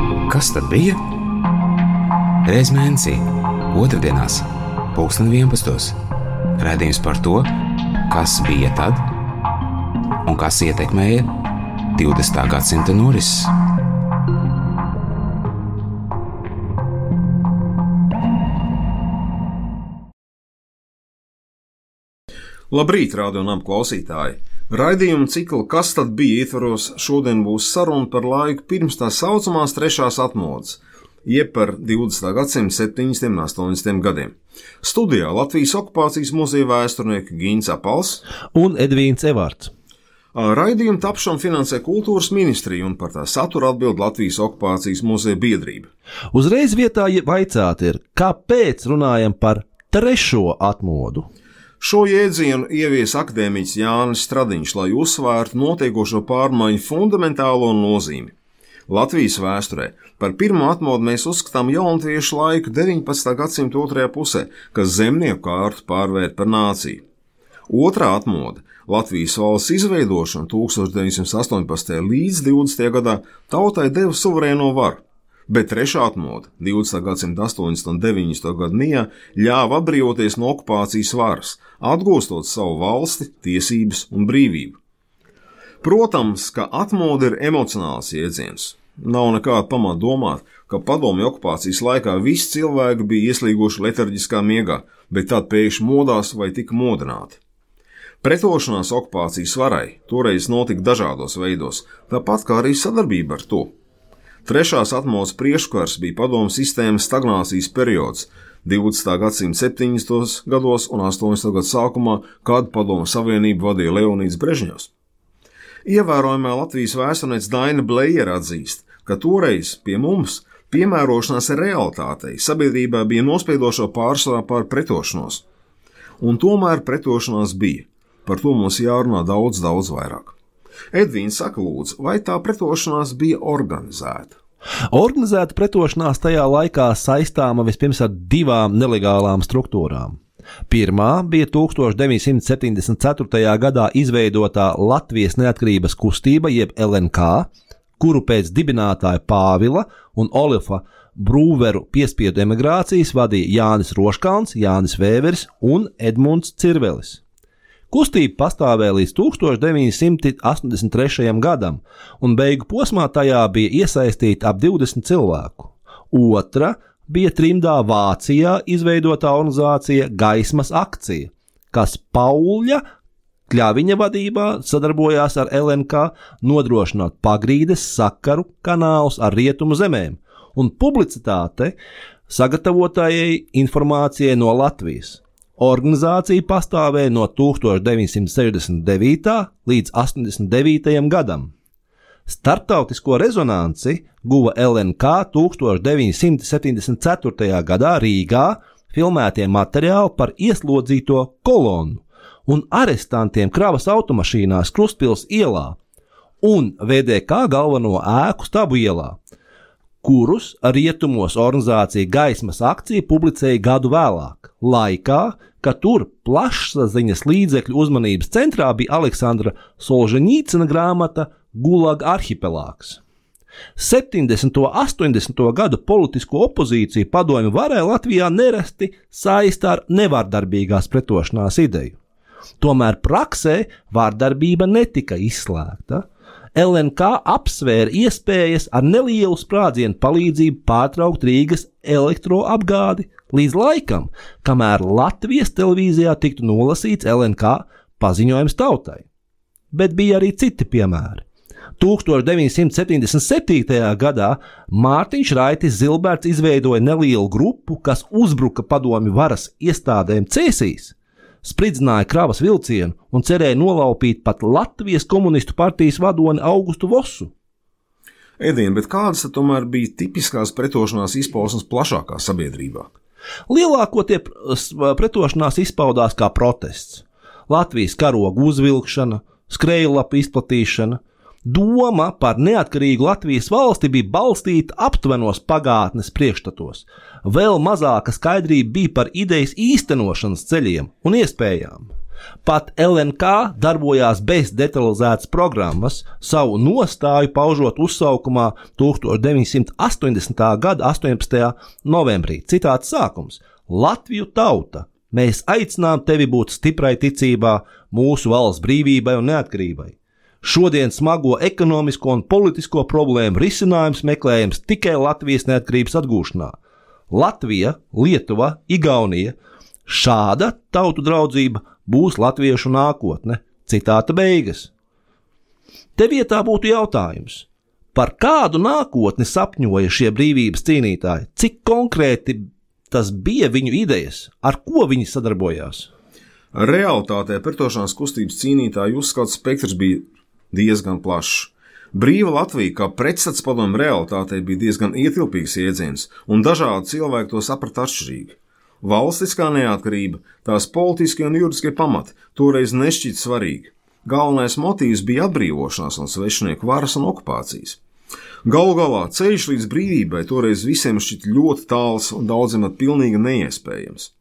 Kas tad bija? Reiz mēnesī, otrdienās, 11. Raidījums par to, kas bija tad un kas ietekmēja 20. gadsimta norises. Labrīt, radio un klausītāji! Raidījuma cikla Kas tad bija ietvaros šodien būs saruna par laiku pirms tā saucamās trešās atmodas, jeb par 20. gadsimta 70. un 80. gadiem. Studijā Latvijas okupācijas muzeja vēsturnieki Gins Apals un Edvīns Evārds. Raidījumu tapšanu finansē Kultūras ministrija un par tā saturu atbild Latvijas okupācijas muzeja biedrība. Uzreiz vietā vaicāt ir, kāpēc runājam par trešo atmodu? Šo jēdzienu ievies akadēmiķis Jānis Stradiņš, lai uzsvērtu notiekošo pārmaiņu fundamentālo nozīmi. Latvijas vēsturē par pirmo atmodu mēs uzskatām jaunatviešu laiku 19. gadsimta otrajā pusē, kas zemnieku kārtu pārvērt par nāciju. Otrā atmoda – Latvijas valsts izveidošana 1918. līdz 20. gadā tautai deva suverēno varu. Bet trešā atmoda, 20. gadsimta 80. un 90. gadu mijā, ļāva atbrīvoties no okupācijas varas, atgūstot savu valsti, tiesības un brīvību. Protams, ka atmoda ir emocionāls jēdziens. Nav nekāda pamata domāt, ka padomju okupācijas laikā visi cilvēki bija ieslīguši letarģiskā miegā, bet tad pēkšņi modās vai tika modināti. Pretošanās okupācijas varai toreiz notika dažādos veidos, tāpat kā arī sadarbība ar to. Trešās atmodas priekškars bija padomju sistēmas stagnācijas periods 20. gadsimta 70. gados un 80. gadu sākumā, kad padomju savienību vadīja Leonīds Brežņevs. Ievērojamā Latvijas vēsturniece Daina Blejere atzīst, ka toreiz pie mums piemērošanās realitātei sabiedrībā bija nospiedošo pārsvarā pār pretošanos. Un tomēr pretošanās bija. Par to mums jārunā daudz vairāk. Edvīns saka lūdzu, vai tā pretošanās bija organizēta? Organizēta pretošanās tajā laikā saistāma vispirms ar divām nelegālām struktūrām. Pirmā bija 1974. gadā izveidotā Latvijas neatkarības kustība jeb LNK, kuru pēc dibinātāja Pāvila un Olifa Brūveru piespiedu emigrācijas vadīja Jānis Roškalns, Jānis Vēveris un Edmunds Cirvelis. Kustība pastāvēja līdz 1983. gadam, un beigu posmā tajā bija iesaistīti ap 20 cilvēku. Otra bija trimdā Vācijā izveidotā organizācija Gaismas akcija, kas Pauļa Kļaviņa vadībā sadarbojās ar LNK, nodrošinot pagrīdes sakaru kanālus ar rietumu zemēm un publicitāte sagatavotājai informācijai no Latvijas. Organizācija pastāvēja no 1969. līdz 89. gadam. Starptautisko rezonanci guva LNK 1974. gadā Rīgā filmētie materiāli par ieslodzīto kolonu un arestantiem kravas automašīnās Krustpils ielā un VDK galveno ēku Stabu ielā, kurus rietumos organizācija Gaismas akcija publicēja gadu vēlāk, laikā, kad tur plašsaziņas līdzekļu uzmanības centrā bija Aleksandra Solženīcina grāmata Gulag arhipelāgs. 70. un 80. gadu politisko opozīciju padomju varai Latvijā nerasti saista ar nevardarbīgās pretošanās ideju. Tomēr praksē vardarbība netika izslēgta. LNK apsvēra iespējas ar nelielu sprādzienu palīdzību pārtraukt Rīgas elektroapgādi līdz laikam, kamēr Latvijas televīzijā tiktu nolasīts LNK paziņojums tautai. Bet bija arī citi piemēri. 1977. gadā Mārtiņš Raitis Zilberts izveidoja nelielu grupu, kas uzbruka padomju varas iestādēm Cēsīs, spridzināja kravas vilcienu un cerēja nolaupīt pat Latvijas komunistu partijas vadoni Augustu Vosu. Edien, bet kādas tad tomēr bija tipiskās pretošanās izpausmes plašākā sabiedrībā? Lielākoties pretošanās izpaudās kā protests. Latvijas karogu uzvilkšana, skrejlapu izplatīšana. Doma par neatkarīgu Latvijas valsti bija balstīta aptvenos pagātnes priekšstatos. Vēl mazāka skaidrība bija par idejas īstenošanas ceļiem un iespējām. Pat LNK darbojās bez detalizētas programmas, savu nostāju paužot uzsaukumā 1980. gada 18. novembrī. Citāts sākums: Latviju tauta, mēs aicinām tevi būt stiprai ticībā mūsu valsts brīvībai un neatkarībai. Šodien smago ekonomisko un politisko problēmu risinājums meklējams tikai Latvijas neatkarības atgūšanā. Latvija, Lietuva, Igaunija – šāda tautu draudzība būs latviešu nākotne. Citāta beigas. Te vietā būtu jautājums, par kādu nākotni sapņoja šie brīvības cīnītāji, cik konkrēti tas bija viņu idejas, ar ko viņi sadarbojās? Realitātē pretošanās kustības cīnītāju uzskatu spektrs bija diezgan plašs. Brīva Latvija kā pretstats padomju realitātei bija diezgan ietilpīgs jēdziens, un dažādi cilvēki to saprata atšķirīgi. Valstiskā neatkarība, tās politiskie un juridiskie pamati toreiz nešķita svarīgi. Galvenais motīvs bija atbrīvošanās no svešinieku varas un okupācijas. Galu galā ceļš līdz brīvībai toreiz visiem šķita ļoti tāls un daudziem pilnīgi neiespējams.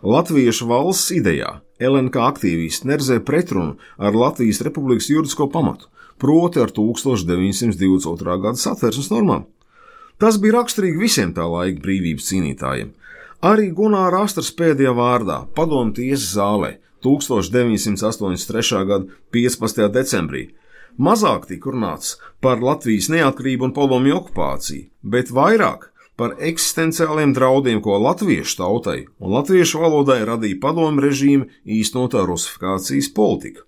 Latviešu valsts idejā LNK aktīvisti neredzēja pretrunu ar Latvijas Republikas juridisko pamatu, proti ar 1922. gada Satversmes normām. Tas bija raksturīgi visiem tā laika brīvības cīnītājiem. Arī Gunāra Astras pēdējā vārdā padomju tiesas zālē 1983. gada 15. decembrī mazāk tika runāts par Latvijas neatkarību un padomju okupāciju, bet vairāk par eksistenciāliem draudiem, ko latviešu tautai un latviešu valodai radīja padomju režīma īstenotā rusifikācijas politika.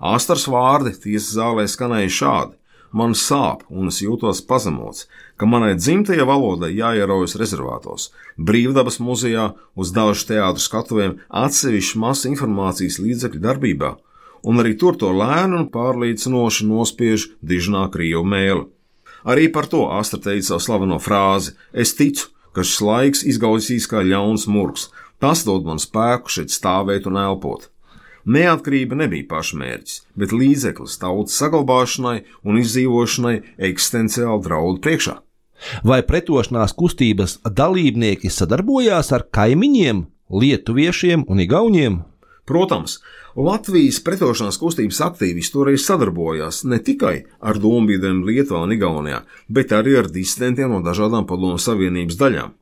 Astras vārdi tiesas zālē skanēja šādi: man sāp un es jūtos pazemots, ka manai dzimtajai valodai jāieraujas rezervātos, Brīvdabas muzejā, uz dažu teātru skatuvēm, atsevišķu masu informācijas līdzekļu darbībā, un arī tur to lēnu un pārliecinoši nospiež dižnā krievu mēli. Arī par to Astra teica savu slaveno frāzi: es ticu, ka šis laiks izgausīs kā ļauns murgs, tas dod man spēku šeit stāvēt un elpot. Neatkarība nebija pašmērķis, bet līdzeklis tautas saglabāšanai un izdzīvošanai eksistenciāli draudu priekšā. Vai pretošanās kustības dalībnieki sadarbojās ar kaimiņiem, lietuviešiem un igauņiem? Protams, Latvijas pretošanās kustības aktīvisti toreiz sadarbojās ne tikai ar dombiedriem Lietuvā un Igaunijā, bet arī ar disidentiem no dažādām padomju savienības daļām.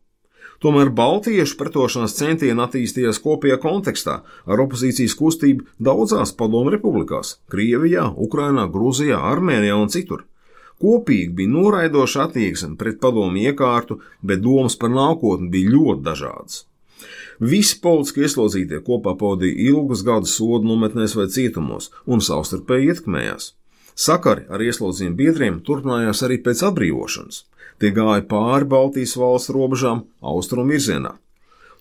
Tomēr baltiešu pretošanās centieni attīstījās kopējā kontekstā ar opozīcijas kustību daudzās padomju republikās – Krievijā, Ukrainā, Grūzijā, Armēnijā un citur. Kopīgi bija noraidoša attieksme pret padomju iekārtu, bet domas par nākotni bija ļoti dažādas. Visi politiski ieslodzītie kopā pavadīja ilgus gadus sodu nometnēs vai cietumos un savstarpēji ietekmējās. Sakari ar ieslodzījumu biedriem turpinājās arī pēc atbrīvošanas. Tie gāja pāri Baltijas valstu robežām austrumu virzienā.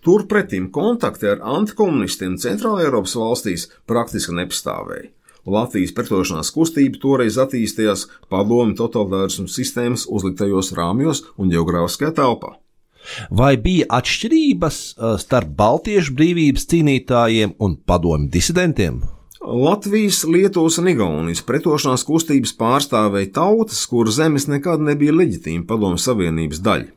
Turpretim kontakti ar antikomunistiem Centrāla Eiropas valstīs praktiski nepastāvēja. Latvijas pretošanās kustība toreiz attīstījās padomju totalitārismu sistēmas uzliktajos rāmjos un geogrāfiskajā telpā. Vai bija atšķirības starp baltiešu brīvības cīnītājiem un padomju disidentiem? Latvijas, Lietuvas un Igaunijas pretošanās kustības pārstāvēja tautas, kuru zemes nekad nebija leģitīma padomju savienības daļa.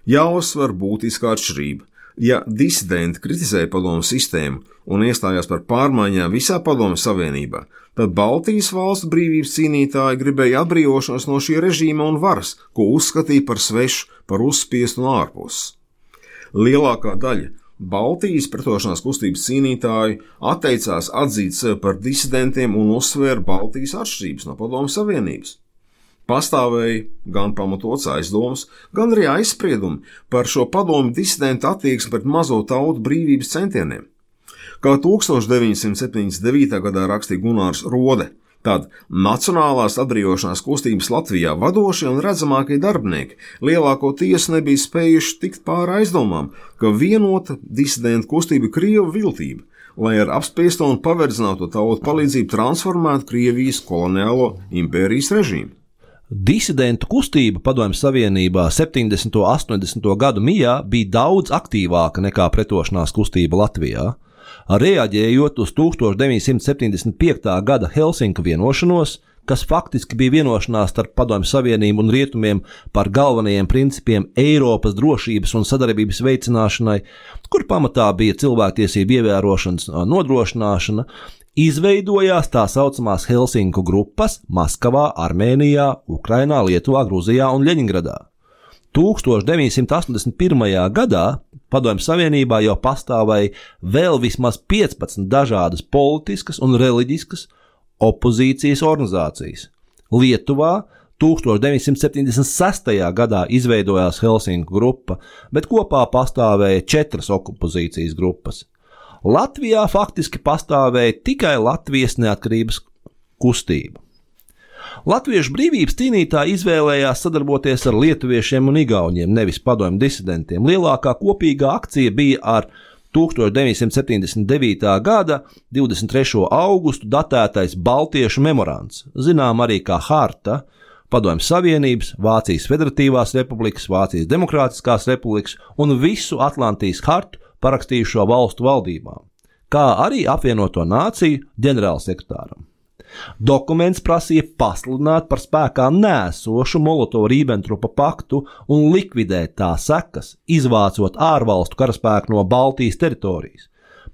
Jāuzsver būtiskā atšķirība. Ja disidenti kritizēja padomju sistēmu un iestājās par pārmaiņām visā padomju savienībā, tad Baltijas valstu brīvības cīnītāji gribēja atbrīvošanos no šī režīma un varas, ko uzskatīja par svešu, par uzspiestu un ārpusi. Lielākā daļa Baltijas pretošanās kustības cīnītāji atteicās atzīt sevi par disidentiem un uzsvēra Baltijas atšķirības no padomju savienības. Pastāvēja gan pamatots aizdomas, gan arī aizspriedumi par šo padomju disidentu attieksmi pret mazo tautu brīvības centieniem. Kā 1979. gadā rakstīja Gunārs Rode, tad nacionālās atbrīvošanās kustības Latvijā vadošie un redzamākie darbinieki lielākoties nebija spējuši tikt pāri aizdomām, ka vienota disidentu kustība Krievu viltība, lai ar apspiesto un paverdzināto tautu palīdzību transformētu Krievijas koloniālo impērijas režīmu. Disidentu kustība Padomju Savienībā 70. un 80. gadu mijā bija daudz aktīvāka nekā pretošanās kustība Latvijā. Reaģējot uz 1975. gada Helsinku vienošanos, kas faktiski bija vienošanās starp Padomju Savienību un Rietumiem par galvenajiem principiem Eiropas drošības un sadarbības veicināšanai, kur pamatā bija cilvēktiesību ievērošanas nodrošināšana, izveidojās tā saucamās Helsinku grupas Maskavā, Armēnijā, Ukrainā, Lietuvā, Gruzijā un Ļeņingradā. 1981. gadā Padomju Savienībā jau pastāvēja vēl vismaz 15 dažādas politiskas un reliģiskas opozīcijas organizācijas. Lietuvā 1976. gadā izveidojās Helsinku grupa, bet kopā pastāvēja 4 opozīcijas grupas. Latvijā faktiski pastāvēja tikai Latvijas neatkarības kustība. Latviešu brīvības cīnītāji izvēlējās sadarboties ar lietuviešiem un igauņiem, nevis padomju disidentiem. Lielākā kopīgā akcija bija ar 1979. gada 23. augustu datētais Baltiešu memorands, zinām arī kā harta Padomju Savienības, Vācijas Federatīvās Republikas, Vācijas Demokrātiskās Republikas un visu Atlantijas hartu parakstījušo valstu valdībām, kā arī apvienoto nāciju ģenerālsekretāram. Dokuments prasīja pasludināt par spēkā nēsošu Molotova-Ribbentropa paktu un likvidēt tā sekas, izvācot ārvalstu karaspēku no Baltijas teritorijas.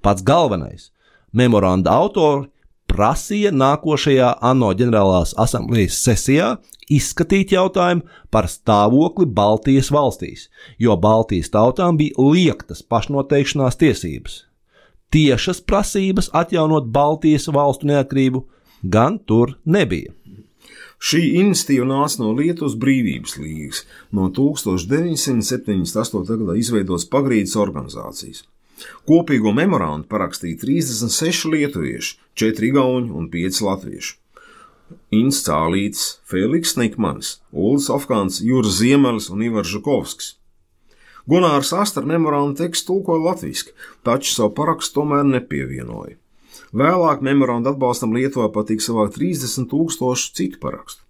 Pats galvenais – memoranda autori prasīja nākošajā ANO ģenerālās asamblejas sesijā izskatīt jautājumu par stāvokli Baltijas valstīs, jo Baltijas tautām bija liektas pašnoteikšanās tiesības. Tiešas prasības atjaunot Baltijas valstu neatkarību gan tur nebija. Šī iniciatīva nāca no Lietuvas brīvības līgas, no 1978. gadā izveidotas pagrīdes organizācijas. Kopīgo memorandu parakstīja 36 lietuvieši, 4 igauņi un 5 latvieši. Inns Cālītis, Feliks Nikmanis, Uldis Ofkāns, Juris Ziemelis un Ivars Žukovskis. Gunārs Astra memorandu tekstu tulkoja latviski, taču savu parakstu tomēr nepievienoja. Vēlāk memorandu atbalstam Lietuvā patika savākt 30,000 citu parakstu.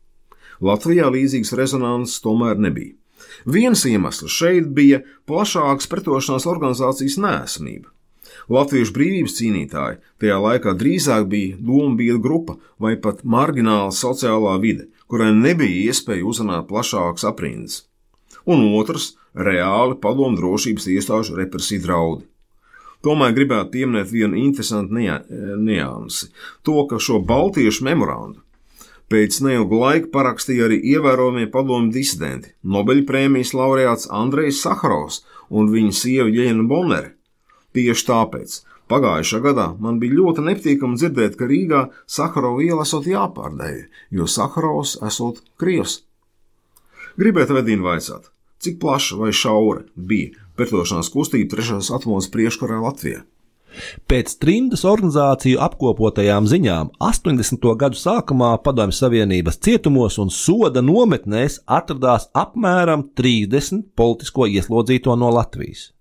Latvijā līdzīgas rezonanses tomēr nebija. Viens iemesls šeit bija plašākas pretošanās organizācijas neesamība. Latviešu brīvības cīnītāji tajā laikā drīzāk bija dombiedru grupa vai pat margināla sociālā vide, kurai nebija iespēja uzrunāt plašākas aprindas. Un otrs – reāli padomu drošības iestāžu represiju draudi. Tomēr gribētu pieminēt vienu interesantu niansi – to, ka šo baltiešu memorandu pēc neilga laika parakstīja arī ievērojamie padomju disidenti, Nobeļprēmijas laureāts Andrejs Saharovs un viņa sieva Jeļena Bonere. Tieši tāpēc pagājušā gadā man bija ļoti nepatīkami dzirdēt, ka Rīgā Saharova iela esot jāpārdēja, jo Saharovs esot krievs. Gribētu Vedīnu vaicāt, cik plaša vai šaura bija pretošanās kustība 3. atmodas priekškarā Latvijā? Pēc trimdas organizāciju apkopotajām ziņām 80. gadu sākumā Padomju Savienības cietumos un soda nometnēs atradās apmēram 30 politisko ieslodzīto no Latvijas.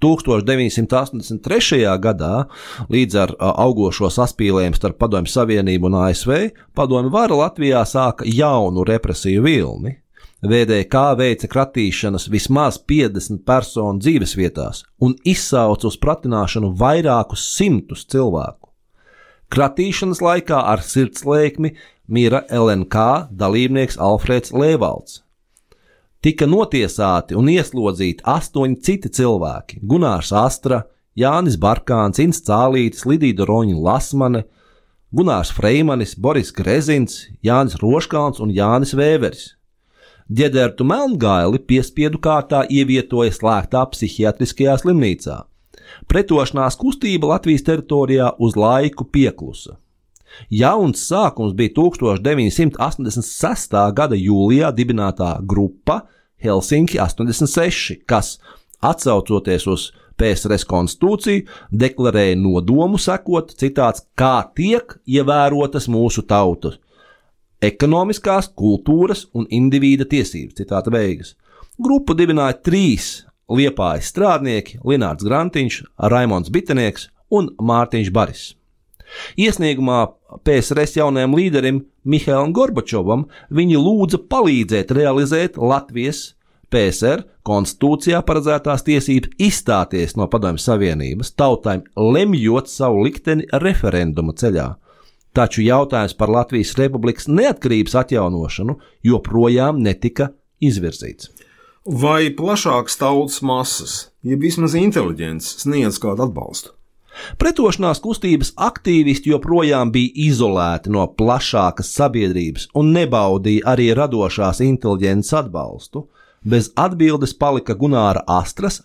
1983. gadā, līdz ar augošo saspīlējumu starp Padomju Savienību un ASV, padomju vara Latvijā sāka jaunu represiju vilni. VDK veica kratīšanas vismaz 50 personu dzīvesvietās un izsauca uz pratināšanu vairākus simtus cilvēku. Kratīšanas laikā ar sirdslēkmi mira LNK dalībnieks Alfrēds Lēvalds. Tika notiesāti un ieslodzīti 8 citi cilvēki – Gunārs Astra, Jānis Barkāns, Inns Cālītis, Lidija Roņa Lasmane, Gunārs Freimanis, Boris Grezins, Jānis Roškalns un Jānis Vēveris. Ģedertu Melngaili piespiedu kārtā ievietoja slēgtā psihiatriskajā slimnīcā. Pretošanās kustība Latvijas teritorijā uz laiku pieklusa. Jauns sākums bija 1986. gada jūlijā dibinātā grupa Helsinki 86, kas, atsaucoties uz PSRS konstitūciju, deklarēja nodomu sekot, citāts, kā tiek ievērotas mūsu tautas ekonomiskās, kultūras un indivīda tiesības, citāta beigas. Grupu dibināja 3 Liepājas strādnieki – Linārds Grantiņš, Raimonds Bitenieks un Mārtiņš Baris. Iesniegumā PSRS jaunajam līderim Mihailam Gorbačovam viņi lūdza palīdzēt realizēt Latvijas PSR konstitūcijā paredzētās tiesības izstāties no Padomju Savienības, tautām lemjot savu likteni referenduma ceļā. taču jautājums par Latvijas Republikas neatkarības atjaunošanu joprojām netika izvirzīts. Vai plašākas tautas masas, jeb vismaz inteliģents, sniedz kādu atbalstu? Pretošanās kustības aktīvisti joprojām bija izolēti no plašākas sabiedrības un nebaudīja arī radošās inteliģences atbalstu. Bez atbildes palika Gunāra Astras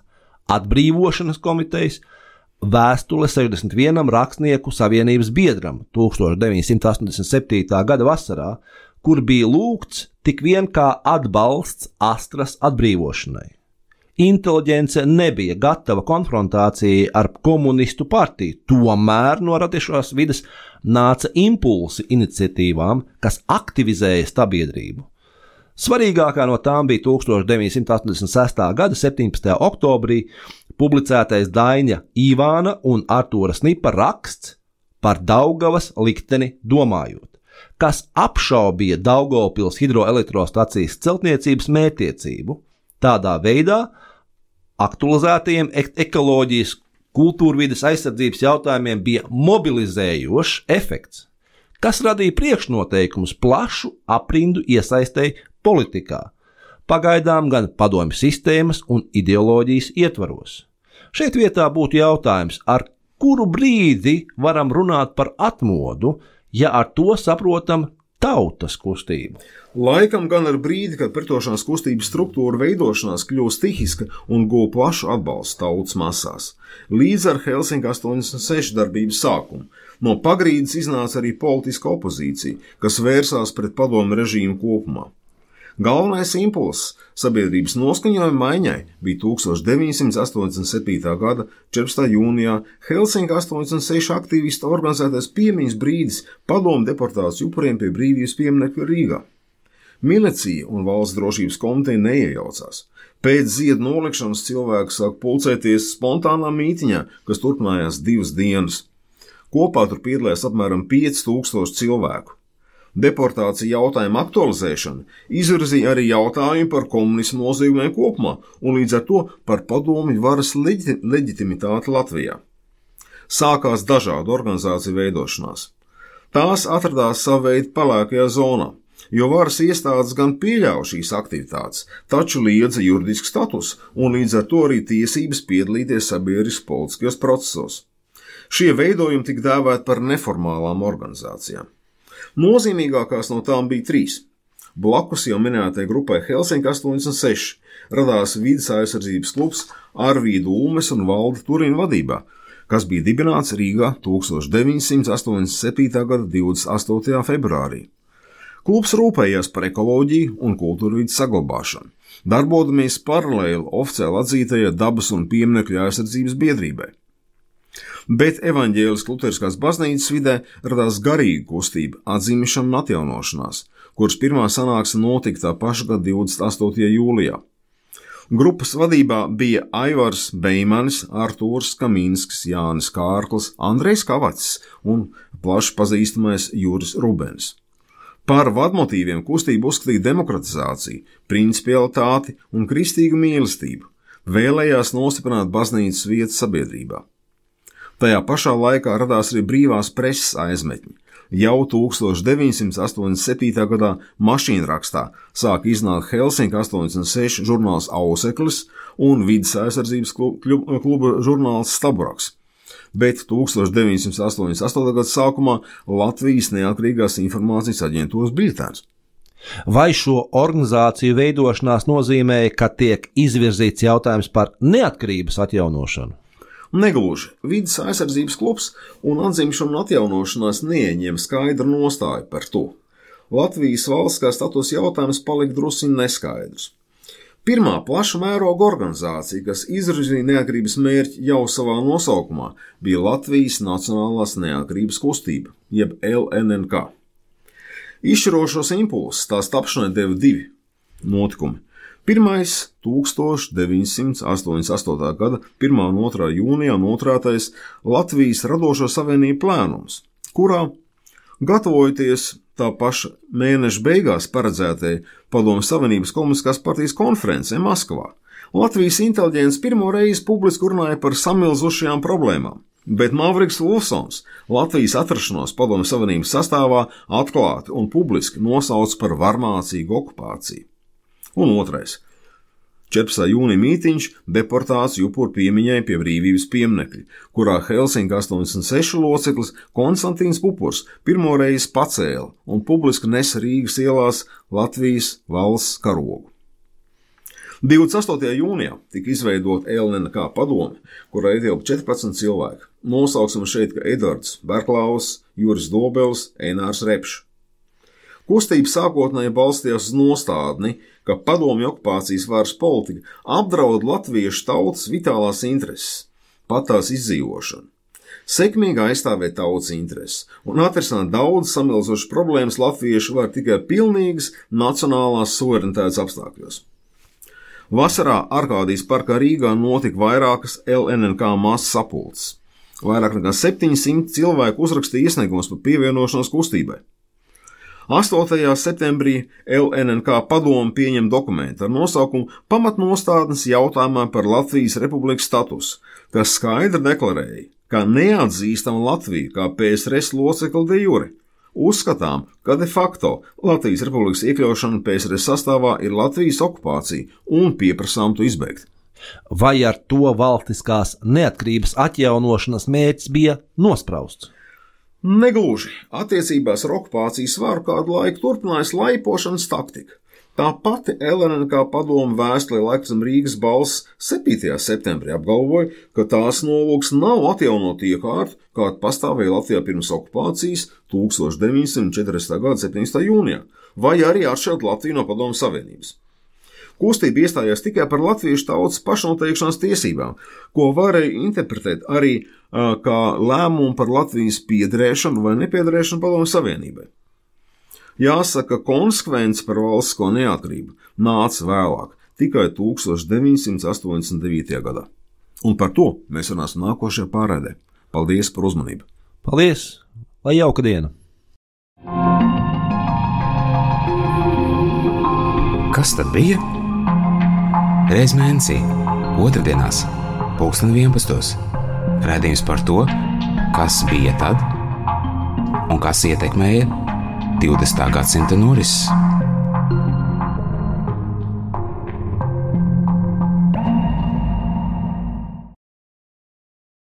atbrīvošanas komitejas vēstule 61 rakstnieku savienības biedram 1987. gada vasarā, kur bija lūgts tik vien kā atbalsts Astras atbrīvošanai. Inteliģence nebija gatava konfrontācijai ar komunistu partiju, tomēr no radošās vides nāca impulsi iniciatīvām, kas aktivizēja sabiedrību. Svarīgākā no tām bija 1986. gada 17. oktobrī publicētais Daiņa Ivāna un Artūra Snipa raksts par Daugavas likteni domājot, kas apšaubīja Daugavpils hidroelektrostacijas celtniecības mērķtiecību. Tādā veidā aktualizētajiem ekoloģijas, kultūrvides aizsardzības jautājumiem bija mobilizējošs efekts, kas radīja priekšnoteikumus plašu aprindu iesaistei politikā, pagaidām gan padomju sistēmas un ideoloģijas ietvaros. Šeit vietā būtu jautājums, ar kuru brīdi varam runāt par atmodu, ja ar to saprotam tautas kustību. Laikam gan ar brīdi, kad pretošanās kustības struktūra veidošanās kļūst stihiska un guva plašu atbalstu tautas masās. Līdz ar Helsinki 86 darbības sākumu no pagrīdes iznāca arī politiska opozīcija, kas vērsās pret padomu režīmu kopumā. Galvenais impulss sabiedrības noskaņojuma maiņai bija 1987. gada 14. jūnijā Helsinki 86 aktīvistu organizētais piemiņas brīdis padomu deportāciju upuriem pie brīvības pieminekļa Rīgā. Milicija un valsts drošības komiteja neiejaucās. Pēc ziedu nolikšanas cilvēki sāk pulcēties spontānā mītiņā, kas turpinājās 2 dienas. Kopā tur piedalījās apmēram 5000 cilvēku. Deportācija jautājuma aktualizēšana izvirzīja arī jautājumu par komunismu noziegumiem kopumā un līdz ar to par padomju varas leģitimitāti Latvijā. Sākās dažādu organizāciju veidošanās. Tās atradās sava veida pelēkajā zonā, jo varas iestādes gan pieļāva šīs aktivitātes, taču liedza juridisku statusu un līdz ar to arī tiesības piedalīties sabiedriskas politiskajos procesos. Šie veidojumi tika dēvēti par neformālām organizācijām. Nozīmīgākās no tām bija 3. Blakus jau minētajai grupai Helsinki 86 radās vides aizsardzības klubs Arvīda Ulmes un Valda Turina vadībā, kas bija dibināts Rīgā 1987. gada 28. februārī. Klubs rūpējās par ekoloģiju un kultūrvides saglabāšanu, darbodamies paralēli oficiāli atzītajai dabas un pieminekļu aizsardzības biedrībai. Bet evaņģēliskās luteriskās baznīcas vidē radās garīga kustība, atzīšana un atjaunošanās, kuras pirmā sanāksme notika tā paša gada 28. jūlijā. Grupas vadībā bija Aivars Beimanis, Artūrs Kaminskis, Jānis Kārklis, Andrejs Kavacis un plaši pazīstamais Juris Rubens. Par vadmotīviem kustība uzskatīja demokratizāciju, principialitāti un kristīgu mīlestību, vēlējās nostiprināt baznīcas vietu sabiedrībā. Tajā pašā laikā radās arī brīvās preses aizmetņi. Jau 1987. gadā mašīnrakstā sāka iznākt Helsinki 86 žurnāls Auseklis un vides aizsardzības kluba žurnāls Staburaks. Bet 1988. gada sākumā Latvijas neatkarīgās informācijas aģentūras biļetēns. Vai šo organizāciju veidošanās nozīmēja, ka tiek izvirzīts jautājums par neatkarības atjaunošanu? Negluži. Vides aizsardzības klubs un atzimšana un atjaunošanās neieņem skaidru nostāju par to. Latvijas valstiskā statusa jautājums palika drusciņ neskaidrs. Pirmā plaša mēroga organizācija, kas izvirzīja neatkarības mērķi jau savā nosaukumā, bija Latvijas Nacionālās neatkarības kustība, jeb LNNK. Izšķirošos impulsus tās tapšanai deva 2 notikumi. Pirmais 1988. gada 1. un 2. jūnijā noturētais Latvijas radošo savienību plēnums, kurā, gatavojoties tā paša mēneša beigās paredzētajai Padomju Savienības komunistiskās partijas konferencē Maskavā, Latvijas inteliģents pirmo reizi publiski runāja par samilzušajām problēmām Bet Mavriks Ulfsons Latvijas atrašanos Padomju Savienības sastāvā atklāti un publiski nosauc par varmācīgu okupāciju. Un otrais. 14. jūnija mītiņš deportāciju upuru piemiņai pie brīvības pieminekļa, kurā Helsinka 86 loceklis Konstantīns Pupurs pirmoreiz pacēla un publiski nesa Rīgas ielās Latvijas valsts karogu. 28. jūnijā tika izveidota LNK padome, kurā ietilpa 14 cilvēki. Nosauksim šeit, ka Edvards Berklaus, Juris Dobels, Einārs Repšs. Kustība sākotnēji balstījās uz nostādni, ka padomju okupācijas varas politika apdraud latviešu tautas vitālās intereses, pat tās izdzīvošanu. Sekmīgi aizstāvēt tautas intereses un atrisināt daudz samilzošas problēmas latviešu var tikai pilnīgas nacionālās suverenitātes apstākļos. Vasarā Arkādijas parkā Rīgā notika vairākas LNK masas sapulces. Vairāk nekā 700 cilvēku uzrakstīja iesniegumus par pievienošanos kustībai. 8. septembrī LNK padome pieņem dokumentu ar nosaukumu Pamatnostādnes jautājumā par Latvijas republikas statusu, kas skaidri deklarēja, ka neatzīstam Latviju kā PSRS locekli de jure. Uzskatām, ka de facto Latvijas republikas iekļaušana PSRS sastāvā ir Latvijas okupācija un pieprasām to izbeigt. Vai ar to valstiskās neatkarības atjaunošanas mērķis bija nosprausts? Negluži. Attiecībās ar okupācijas varu kādu laiku turpinājās laipošanas taktika. Tā pati LNK padome vēstulē laikam Rīgas balss 7. septembrī apgalvoja, ka tās nolūks nav atjaunot iekārtu, kāda pastāvēja Latvijā pirms okupācijas 1940. gada 17. jūnijā, vai arī atšķirt Latviju no Padomju Savienības. Kustība iestājās tikai par latviešu tautas pašnoteikšanas tiesībām, ko varēja interpretēt arī kā lēmumu par Latvijas piederēšanu vai nepiederēšanu Padomju Savienībai. Jāsaka, konsekvence par valstisko neatkarību nāca vēlāk, tikai 1989. gadā. Un par to mēs runāsim nākošajā pārraidē. Paldies par uzmanību! Paldies! Lai jauka diena! Kas tad bija? Reiz mēnesī, otrdienās, 11. Raidījums par to, kas bija tad un kas ietekmēja 20. gadsimta norises.